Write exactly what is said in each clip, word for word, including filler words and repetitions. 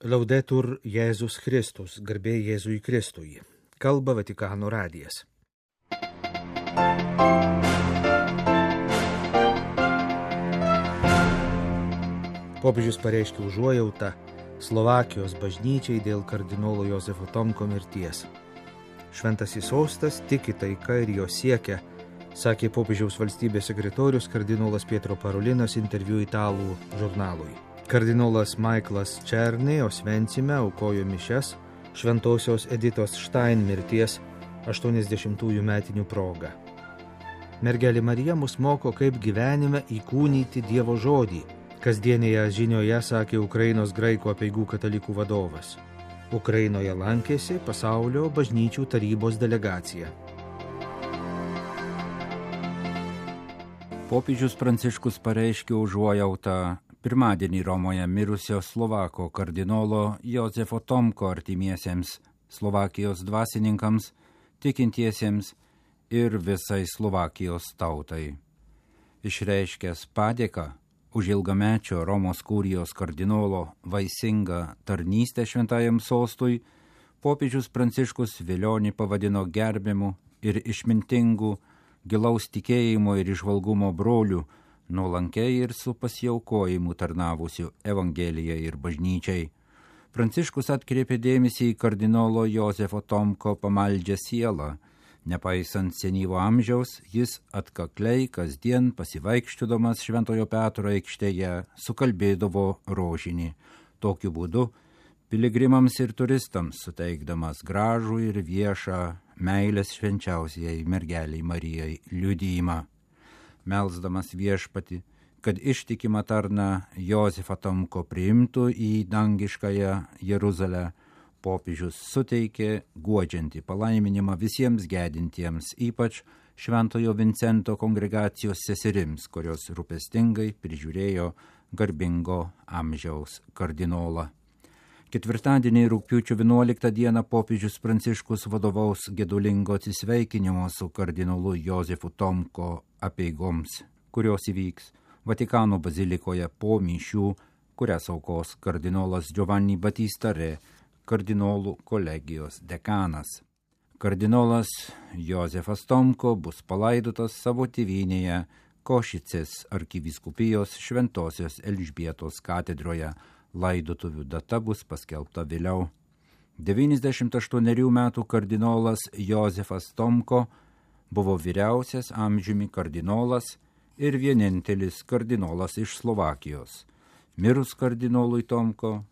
Laudetur Jėzus Kristus, garbė Jėzui Kristui. Kalba Vatikano radijas. Popiežius pareiškė užuojautą Slovakijos bažnyčiai dėl kardinolo Jozefo Tomko mirties. Šventasis sostas tiki taika ir jo siekia, sakė popiežiaus valstybės sekretorius kardinolas Pietro Parolinas interviu italų žurnalui. Kardinolas Michaelas Černė Osvencime aukojo mišias šventosios Editos Štain mirties aštuoniasdešimtųjų metinių proga. Mergelė Marija mus moko, kaip gyvenime įkūnyti Dievo žodį. Kasdienėje žinioje sakė Ukrainos graikų apeigų katalikų vadovas. Ukrainoje lankėsi pasaulio bažnyčių tarybos delegacija. Popiežius Pranciškus pareiškė užuojautą pirmadienį Romoje mirusio Slovako kardinolo Jozefo Tomko artimiesiems, Slovakijos dvasininkams, tikintiesiems ir visai Slovakijos tautai. Išreiškęs padėką už ilgamečio Romos kurijos kardinolo vaisingą tarnystę šventajam sostui, popiežius Pranciškus Vilionį pavadino gerbiamu ir išmintingu, gilaus tikėjimo ir įžvalgumo broliu, nuolankiai ir su pasiaukojimu tarnavusiu Evangelijai ir bažnyčiai. Pranciškus atkreipė dėmesį į kardinolo Jozefo Tomko pamaldžią sielą. Nepaisant senyvo amžiaus, jis atkakliai kasdien pasivaikščiodamas Šventojo Petro aikštėje sukalbėdavo rožinį. Tokiu būdu piligrimams ir turistams suteikdamas gražų ir viešą meilės švenčiausiai mergeliai Marijai liudijimą. Melsdamas viešpatį, kad ištikimą tarną Jozefą Tomko priimtų į dangiškąją Jeruzalę, popiežius suteikė guodžiantį palaiminimą visiems gedintiems, ypač Šventojo Vincento kongregacijos seserims, kurios rūpestingai prižiūrėjo garbingo amžiaus kardinolą. Ketvirtadienį rugpjūčio vienuoliktą dieną popiežius Pranciškus vadovaus gedulingo atsisveikinimo su kardinolu Jozefu Tomko apeigoms, kurios įvyks Vatikano bazilikoje po mišių, kurias aukos kardinolas Giovanni Battista Re, kardinolų kolegijos dekanas. Kardinolas Jozefas Tomko bus palaidotas savo tėvynėje Košicės arkivyskupijos Šventosios Elžbietos katedroje. Laidotuvių data bus paskelbta vėliau. devyniasdešimt aštuonerių metų kardinolas Jozefas Tomko buvo vyriausias amžiumi kardinolas ir vienintelis kardinolas iš Slovakijos. Mirus kardinolui Tomko,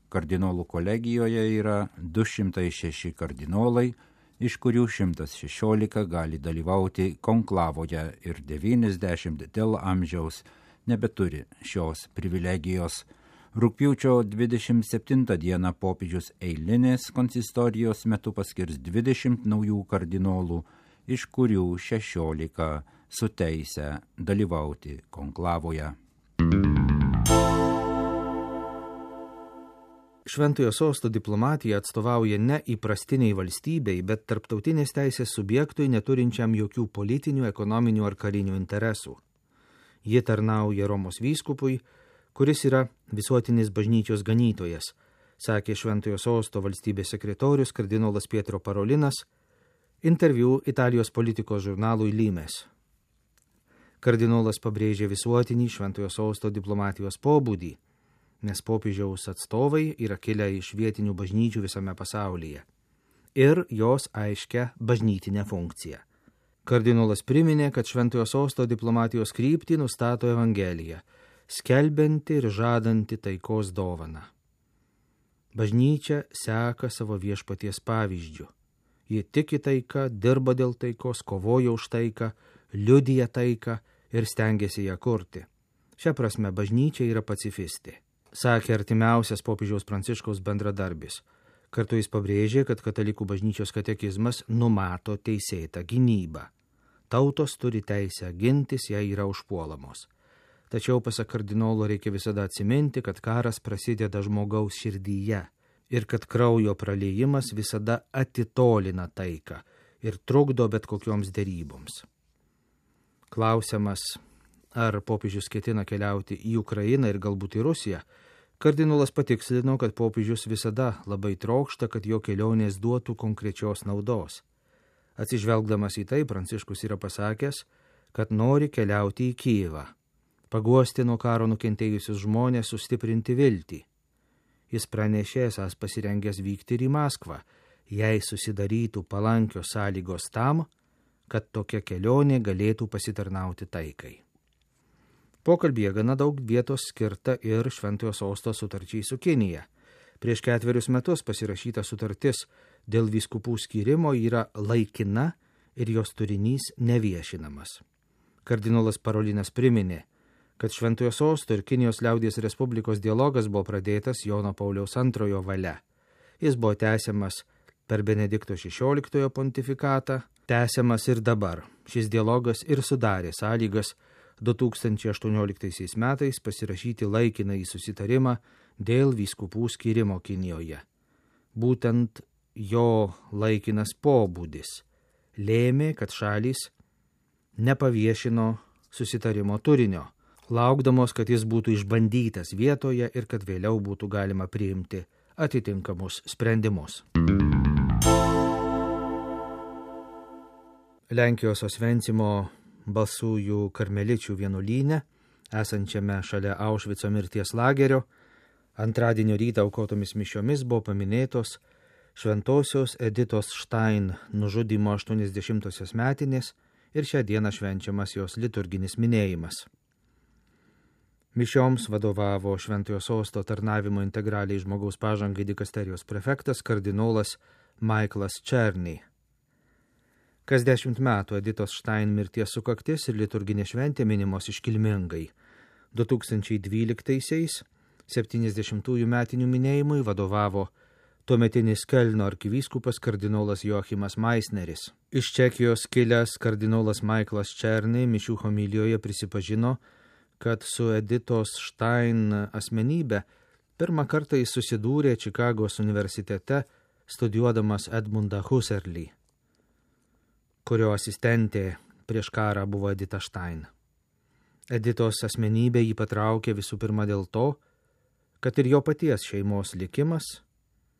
kardinolų kolegijoje yra du šimtai šeši kardinolai, iš kurių šimtas šešiolika gali dalyvauti konklavoje ir devyniasdešimt dėl amžiaus nebeturi šios privilegijos. Rugpjūčio dvidešimt septintą dieną popiežius eilinės konsistorijos metu paskirs dvidešimt naujų kardinolų, iš kurių šešiolika su teise dalyvauti konklavoje. Šventojo sosto diplomatija atstovauja ne įprastiniai valstybei, bet tarptautinės teisės subjektui neturinčiam jokių politinių, ekonominių ar karinių interesų. Ji tarnauja Romos vyskupui, kuris yra visuotinis bažnyčios ganytojas, sakė Šventojo sosto valstybės sekretorius kardinolas Pietro Parolinas interviu Italijos politikos žurnalui Limes. Kardinolas pabrėžė visuotinį Šventojo sosto diplomatijos pobūdį, nes popiežiaus atstovai yra kilę iš vietinių bažnyčių visame pasaulyje ir jos aiškia bažnytinę funkciją. Kardinolas priminė, kad Šventojo sosto diplomatijos kryptį nustato Evangelija, skelbianti ir žadanti taikos dovaną. Bažnyčia seka savo viešpaties pavyzdžiu. Ji tiki taiką, dirba dėl taikos, kovoja už taiką, liudija taiką ir stengiasi ją kurti. Šia prasme bažnyčia yra pacifistė, sakė artimiausias popiežiaus Pranciškaus bendradarbis. Kartu jis pabrėžė, kad katalikų bažnyčios katekizmas numato teisėtą gynybą. Tautos turi teisę gintis, jei yra užpuolamos. Tačiau, pasak kardinolo, reikia visada atsiminti, kad karas prasideda žmogaus širdyje ir kad kraujo praliejimas visada atitolina taiką ir trukdo bet kokioms deryboms. Klausiamas, ar popiežius ketina keliauti į Ukrainą ir galbūt į Rusiją, Kardinolas patikslino, kad popiežius visada labai trokšta, kad jo kelionės duotų konkrečios naudos. Atsižvelgdamas į tai, Pranciškus yra pasakęs, kad nori keliauti į Kijevą, paguosti nuo karo nukentėjusius žmonės, sustiprinti viltį. Jis pranešė esąs pasirengęs vykti ir į Maskvą, jei susidarytų palankios sąlygos tam, kad tokia kelionė galėtų pasitarnauti taikai. Pokalbyje gana daug vietos skirta ir Šventojo Sosto sutarčiai su Kinija. Prieš ketverius metus pasirašyta sutartis dėl vyskupų skyrimo yra laikina ir jos turinys neviešinamas. Kardinolas Parolinas priminė, kad Šventojo Sosto ir Kinijos liaudies Respublikos dialogas buvo pradėtas Jono Pauliaus antrojo valia. Jis buvo tęsiamas per Benedikto šešioliktojo pontifikatą, tęsiamas ir dabar. Šis dialogas ir sudarė sąlygas du tūkstančiai aštuonioliktaisiais metais pasirašyti laikinąjį susitarimą dėl vyskupų skyrimo Kinijoje. Būtent jo laikinas pobūdis lėmė, kad šalys nepaviešino susitarimo turinio, laukdamos, kad jis būtų išbandytas vietoje ir kad vėliau būtų galima priimti atitinkamus sprendimus. Lenkijos Osvencimo Balsųjų karmeličių vienuolyne, esančiame šalia Aušvico mirties lagerio, antradienio rytą aukotomis mišiomis buvo paminėtos šventosios Editos Štain nužudymo aštuoniasdešimtosios metinės ir šią dieną švenčiamas jos liturginis minėjimas. Mišioms vadovavo Šventojo Sosto tarnavimo integraliai žmogaus pažangai dikasterijos prefektas kardinolas Michaelas Černy. Kas dešimt metų Editos Štain mirties sukaktis ir liturginė šventė minimos iškilmingai. du tūkstančiai dvyliktaisiais septyniasdešimtųjų metinių minėjimui vadovavo tuometinis Kelno arkivyskupas kardinolas Joachimas Meisneris. Iš Čekijos kilęs kardinolas Michaelas Černy mišių homilijoje prisipažino, kad su Editos Štain asmenybė pirmą kartą jis susidūrė Čikagos universitete studijuodamas Edmundą Husserlį, kurio asistentė prieš karą buvo Edita Štain. Editos asmenybė jį patraukė visų pirma dėl to, kad ir jo paties šeimos likimas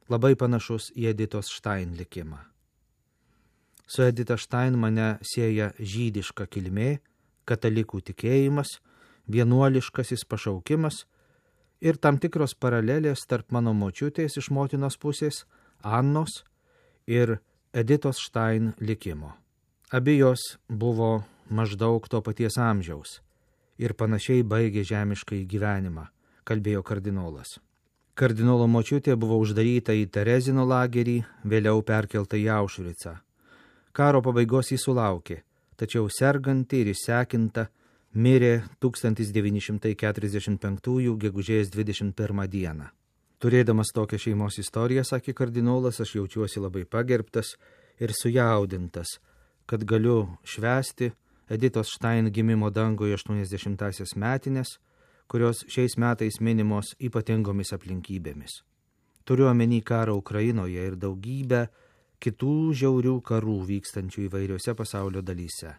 labai panašus į Editos Štain likimą. Su Edita Štain mane sieja žydiška kilmė, katalikų tikėjimas, vienuoliškasis pašaukimas ir tam tikros paralelės tarp mano močiutės iš motinos pusės, Annos, ir Editos Štain likimo. Abi jos buvo maždaug to paties amžiaus ir panašiai baigė žemiškai gyvenimą, kalbėjo kardinolas. Kardinolo močiutė buvo uždaryta į Terezino lagerį, vėliau perkelta į Aušvicą. Karo pabaigos jį sulaukė, tačiau serganti ir išsekinta mirė tūkstantis devyni šimtai keturiasdešimt penktųjų gegužės dvidešimt pirmą dieną. Turėdamas tokią šeimos istoriją, sakė kardinolas, aš jaučiuosi labai pagerbtas ir sujaudintas, kad galiu švęsti Editos Štain gimimo dangoje aštuoniasdešimtąsias metinės, kurios šiais metais minimos ypatingomis aplinkybėmis. Turiu omeny karą Ukrainoje ir daugybę kitų žiaurių karų vykstančių įvairiose pasaulio dalyse.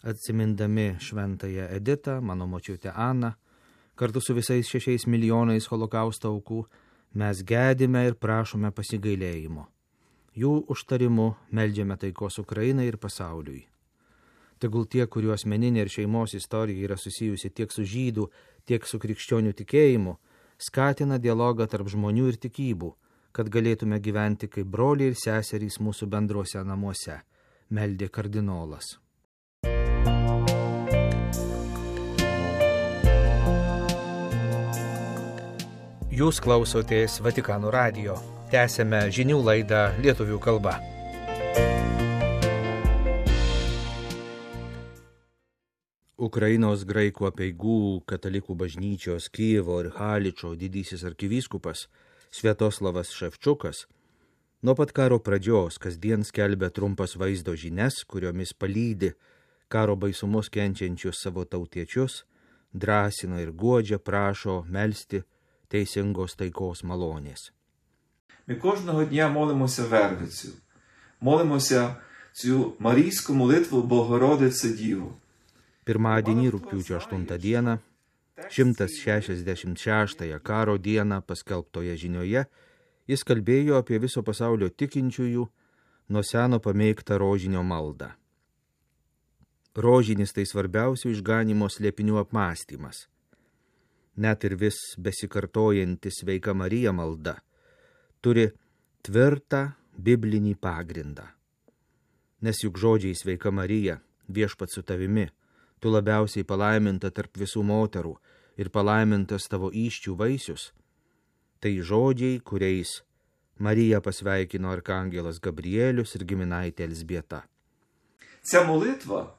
Atsimindami šventąją Editą, mano močiutę Aną, kartu su visais šešiais milijonais holokausto aukų, mes gedime ir prašome pasigailėjimo. Jų užtarimu meldžiame taikos Ukrainai ir pasauliui. Tegul tie, kurių asmeninė ir šeimos istorija yra susijusi tiek su žydų, tiek su krikščionių tikėjimu, skatina dialogą tarp žmonių ir tikybų, kad galėtume gyventi kaip broliai ir seserys mūsų bendruose namuose, meldė kardinolas. Jūs klausotės Vatikano radijo. Tęsėme žinių laidą lietuvių kalba. Ukrainos graikų apeigų katalikų bažnyčios Kijevo ir Haličo didysis arkivyskupas Sviatoslavas Ševčukas nuo pat karo pradžios kasdien skelbia trumpas vaizdo žinias, kuriomis palydi karo baisumus kenčiančius savo tautiečius, drąsina ir guodžia, prašo melsti teisingos taikos malonės. Ми кожного дня молимося Вервицю, молимося цю марійську молитву Богородице Діву. Pirmadienį rugpjūčio aštuntą dieną šimtas šešiasdešimt šeštąją karo dieną paskelbtoje žinioje jis kalbėjo apie viso pasaulio tikinčiųjų nuo seno pamėgtą rožinio maldą. Rožinis tai svarbiausių išganimo slėpinių apmąstymas. Net ir vis besikartojanti Sveika Marija malda turi tvirtą biblinį pagrindą. Nes juk žodžiai Sveika Marija, viešpats su tavimi, tu labiausiai palaiminta tarp visų moterų ir palaimintas tavo įsčių vaisius, tai žodžiai, kuriais Marija pasveikino arkangelas Gabrielius ir giminaitė Елзбєта. Ця молитва,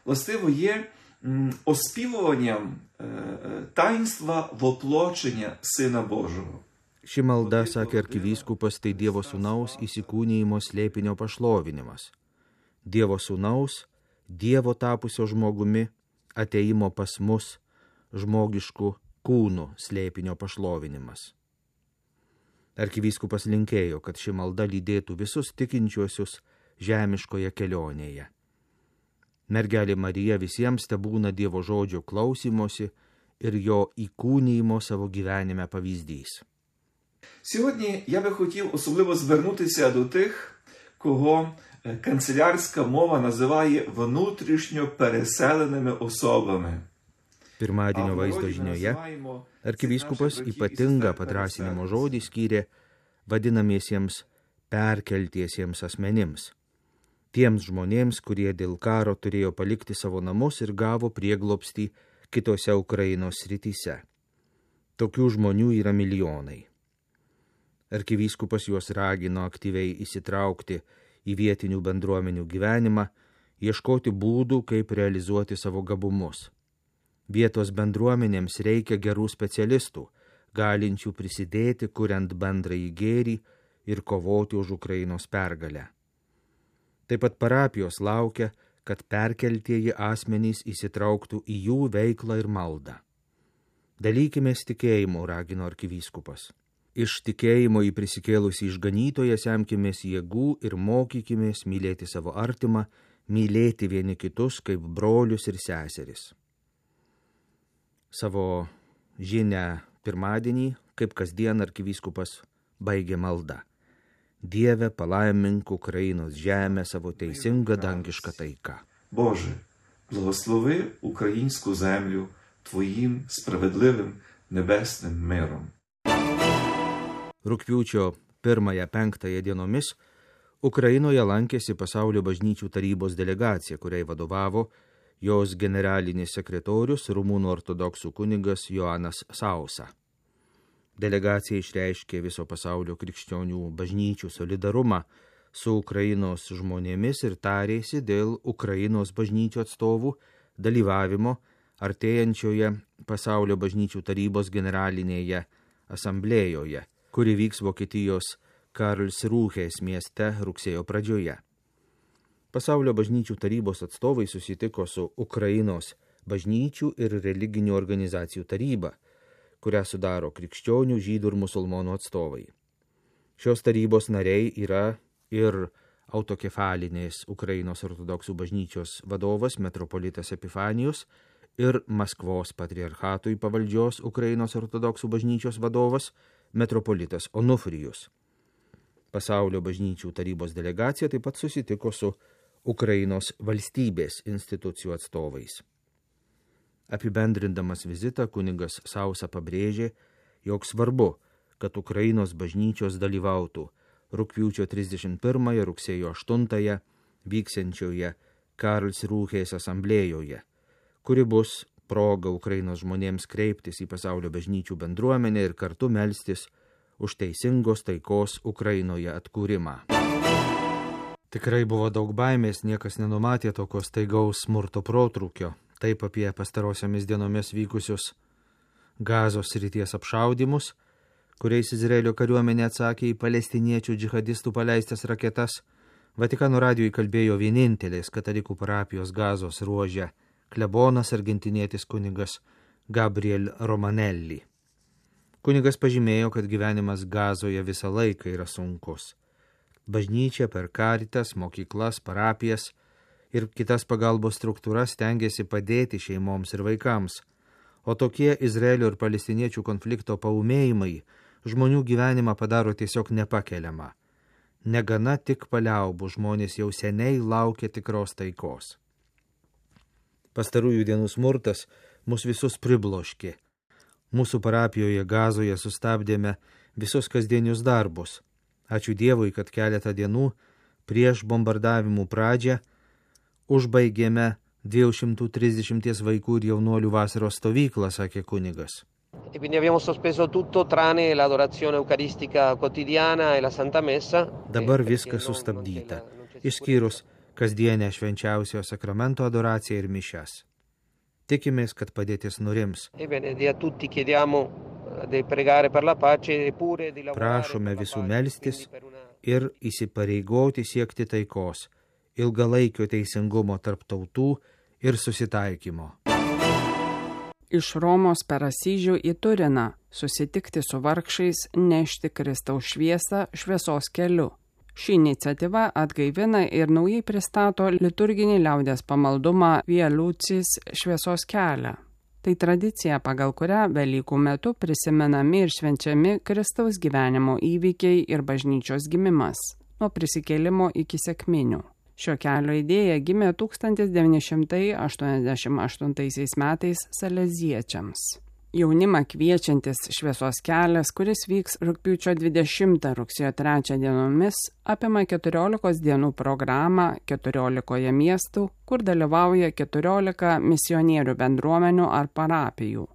властиво, є м, оспівуванням е, е, таїнства воплочення Сина Божого. Ši malda, sakė arkivyskupas, tai Dievo sūnaus įsikūnijimo slėpinio pašlovinimas. Dievo sūnaus, Dievo tapusio žmogumi, ateimo pas mus žmogiškų kūnų slėpinio pašlovinimas. Arkivyskupas linkėjo, kad ši malda lydėtų visus tikinčiuosius žemiškoje kelionėje. Mergelė Marija visiems tebūna Dievo žodžio klausymosi ir jo įkūnijimo savo gyvenime pavyzdys. Сьогодні я би хотів особливо звернутися до тих, кого канцелярська мова називає внутрішньо переселеними особами. Pirmadienio vaizdo žinioje arkivyskupas ypatingą padrąsinimo žodį skyrė vadinamiesiems perkeltiesiems asmenims, tiems žmonėms, kurie dėl karo turėjo palikti savo namus ir gavo prieglobstį kitose Ukrainos srityse. Tokių žmonių yra milijonai. Arkivyskupas juos ragino aktyviai įsitraukti į vietinių bendruomenių gyvenimą, ieškoti būdų, kaip realizuoti savo gabumus. Vietos bendruomenėms reikia gerų specialistų, galinčių prisidėti, kuriant bendrąjį gėrį ir kovoti už Ukrainos pergalę. Taip pat parapijos laukia, kad perkeltieji asmenys įsitrauktų į jų veiklą ir maldą. Dalykimės tikėjimu, ragino arkivyskupas. Iš tikėjimo į prisikėlusį išganytoją semkimės jėgų ir mokykimės mylėti savo artimą, mylėti vieni kitus kaip brolius ir seseris. Savo žinią pirmadienį, kaip kasdien arkivyskupas baigė maldą. Dieve, palaimink Ukrainos žemę savo teisingą dangišką taiką. Боже, благослови українську землю Твоїм справедливим небесним миром. Rugpjūčio pirmąją penktąją dienomis Ukrainoje lankėsi Pasaulio bažnyčių tarybos delegacija, kuriai vadovavo jos generalinis sekretorius Rumunų ortodoksų kunigas Joanas Sausa. Delegacija išreiškė viso pasaulio krikščionių bažnyčių solidarumą su Ukrainos žmonėmis ir tarėsi dėl Ukrainos bažnyčių atstovų dalyvavimo artėjančioje Pasaulio bažnyčių tarybos generalinėje asamblėjoje, kuri vyks Vokietijos Karlsrūhės mieste rugsėjo pradžioje. Pasaulio bažnyčių tarybos atstovai susitiko su Ukrainos bažnyčių ir religinių organizacijų taryba, kurią sudaro krikščionių, žydų ir musulmonų atstovai. Šios tarybos nariai yra ir autokefalinės Ukrainos ortodoksų bažnyčios vadovas metropolitas Epifanijus ir Maskvos patriarchatui pavaldžios Ukrainos ortodoksų bažnyčios vadovas metropolitas Onufrijus. Pasaulio bažnyčių tarybos delegacija taip pat susitiko su Ukrainos valstybės institucijų atstovais. Apibendrindamas vizitą, kunigas Sausa pabrėžė, jog svarbu, kad Ukrainos bažnyčios dalyvautų rugpjūčio trisdešimt pirmąją rugsėjo aštuntąją vyksiančioje Karlsrūhės asamblėjoje, kuri bus proga Ukrainos žmonėms kreiptis į pasaulio bažnyčių bendruomenę ir kartu melstis už teisingos taikos Ukrainoje atkūrimą. Tikrai buvo daug baimės, niekas nenumatė tokios staigaus smurto protrūkio. Taip apie pastarosiomis dienomis vykusius Gazos srities apšaudymus, kuriais Izraelio kariuomenė atsakė į palestiniečių džihadistų paleistas raketas, Vatikano radijui kalbėjo vienintelės katalikų parapijos Gazos ruože klebonas argentinietis kunigas Gabriel Romanelli. Kunigas pažymėjo, kad gyvenimas Gazoje visą laiką yra sunkus. Bažnyčia per karitas, mokyklas, parapijas ir kitas pagalbos struktūras stengiasi padėti šeimoms ir vaikams, O tokie Izraelio ir palestiniečių konflikto paūmėjimai žmonių gyvenimą padaro tiesiog nepakeliamą. Negana tik paliaubų, žmonės jau seniai laukia tikros taikos. Pastarųjų dienų smurtas mus visus pribloškė. Mūsų parapijoje Gazoje sustabdėme visus kasdienius darbus. Ačiū Dievui, kad keletą dienų prieš bombardavimų pradžią užbaigėme dviejų šimtų trisdešimties vaikų ir jaunuolių vasaros stovyklą, sakė kunigas. E quindi abbiamo sospeso tutto tranne l'adorazione eucaristica quotidiana e la Santa Messa. Dabar viskas sustabdyta, išskyrus kasdienę švenčiausio sakramento adoraciją ir mišias. Tikimės, kad padėtis nurims. Prašome visų melstis ir įsipareigoti siekti taikos, ilgalaikio teisingumo tarp tautų ir susitaikymo. Iš Romos per Asyžių į Turiną susitikti su vargšais, nešti Kristaus šviesą šviesos keliu. Ši iniciatyva atgaivina ir naujai pristato liturginį liaudies pamaldumą Via Lucis šviesos kelią. Tai tradicija, pagal kurią Velykų metu prisimenami ir švenčiami Kristaus gyvenimo įvykiai ir bažnyčios gimimas, nuo prisikėlimo iki sekminių. Šio kelio idėja gimė tūkstantis devyni šimtai aštuoniasdešimt aštuntaisiais metais saleziečiams. Jaunimą kviečiantis šviesos kelias, kuris vyks rugpjūčio dvidešimtą rugsėjo trečią dienomis, apima keturiolikos dienų programą keturiolikoje miestų, kur dalyvauja keturiolika misionierių bendruomenių ar parapijų.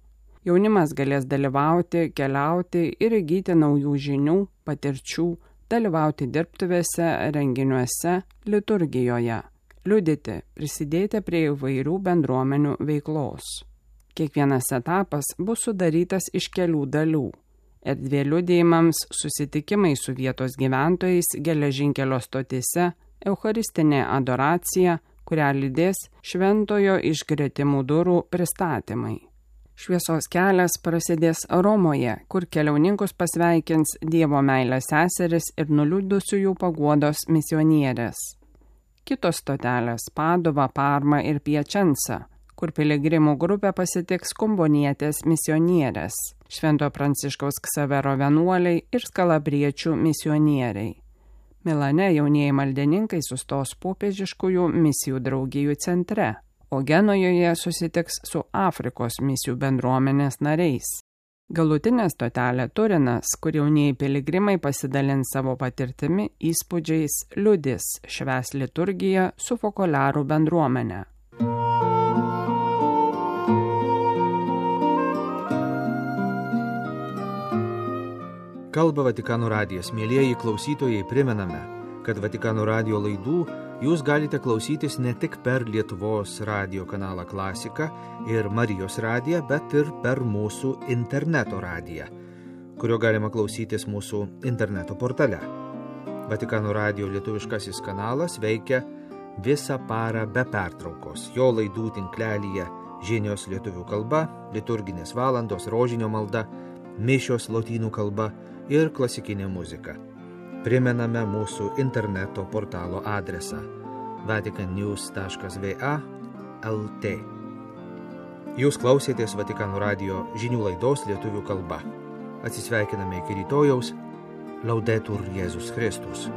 Jaunimas galės dalyvauti, keliauti ir įgyti naujų žinių, patirčių, dalyvauti dirbtuvėse, renginiuose, liturgijoje, liudyti, prisidėti prie įvairių bendruomenių veiklos. Kiekvienas etapas bus sudarytas iš kelių dalių. Erdvė liudijimams, susitikimai su vietos gyventojais, geležinkelio stotyse, eucharistinė adoracija, kurią lydės šventojo išgretimų durų pristatymai. Šviesos kelias prasidės Romoje, kur keliauninkus pasveikins Dievo meilės seseris ir nuliūdusiųjų paguodos misionierės. Kitos stotelės – Padova, Parma ir Piačensa, kur piligrimų grupė pasitiks kumbonietės misionierės, Švento Pranciškaus Ksavero vienuoliai ir skalabriečių misionieriai. Milane jaunieji maldininkai sustos popiežiškųjų misijų draugijų centre, o Genojoje susitiks su Afrikos misijų bendruomenės nariais. Galutinė stotelė Turinas, kur jaunieji piligrimai pasidalins savo patirtimi, įspūdžiais, liudys, švęs liturgiją su fokolarų bendruomenė. Kalba Vatikano radijas. Mielieji klausytojai, primename, kad Vatikano radijo laidų jūs galite klausytis ne tik per Lietuvos radijo kanalą Klasika ir Marijos radiją, bet ir per mūsų interneto radiją, kurio galima klausytis mūsų interneto portale. Vatikano radijo lietuviškasis kanalas veikia visą parą be pertraukos. Jo laidų tinklelyje žinios lietuvių kalba, liturginės valandos, rožinio malda, mišios lotynų kalba ir klasikinė muzika. Primename mūsų interneto portalo adresą vatican news taškas v a taškas l t. Jūs klausėtės Vatikano radijo žinių laidos lietuvių kalba. Atsisveikiname iki rytojaus. Laudetur Jėzus Kristus.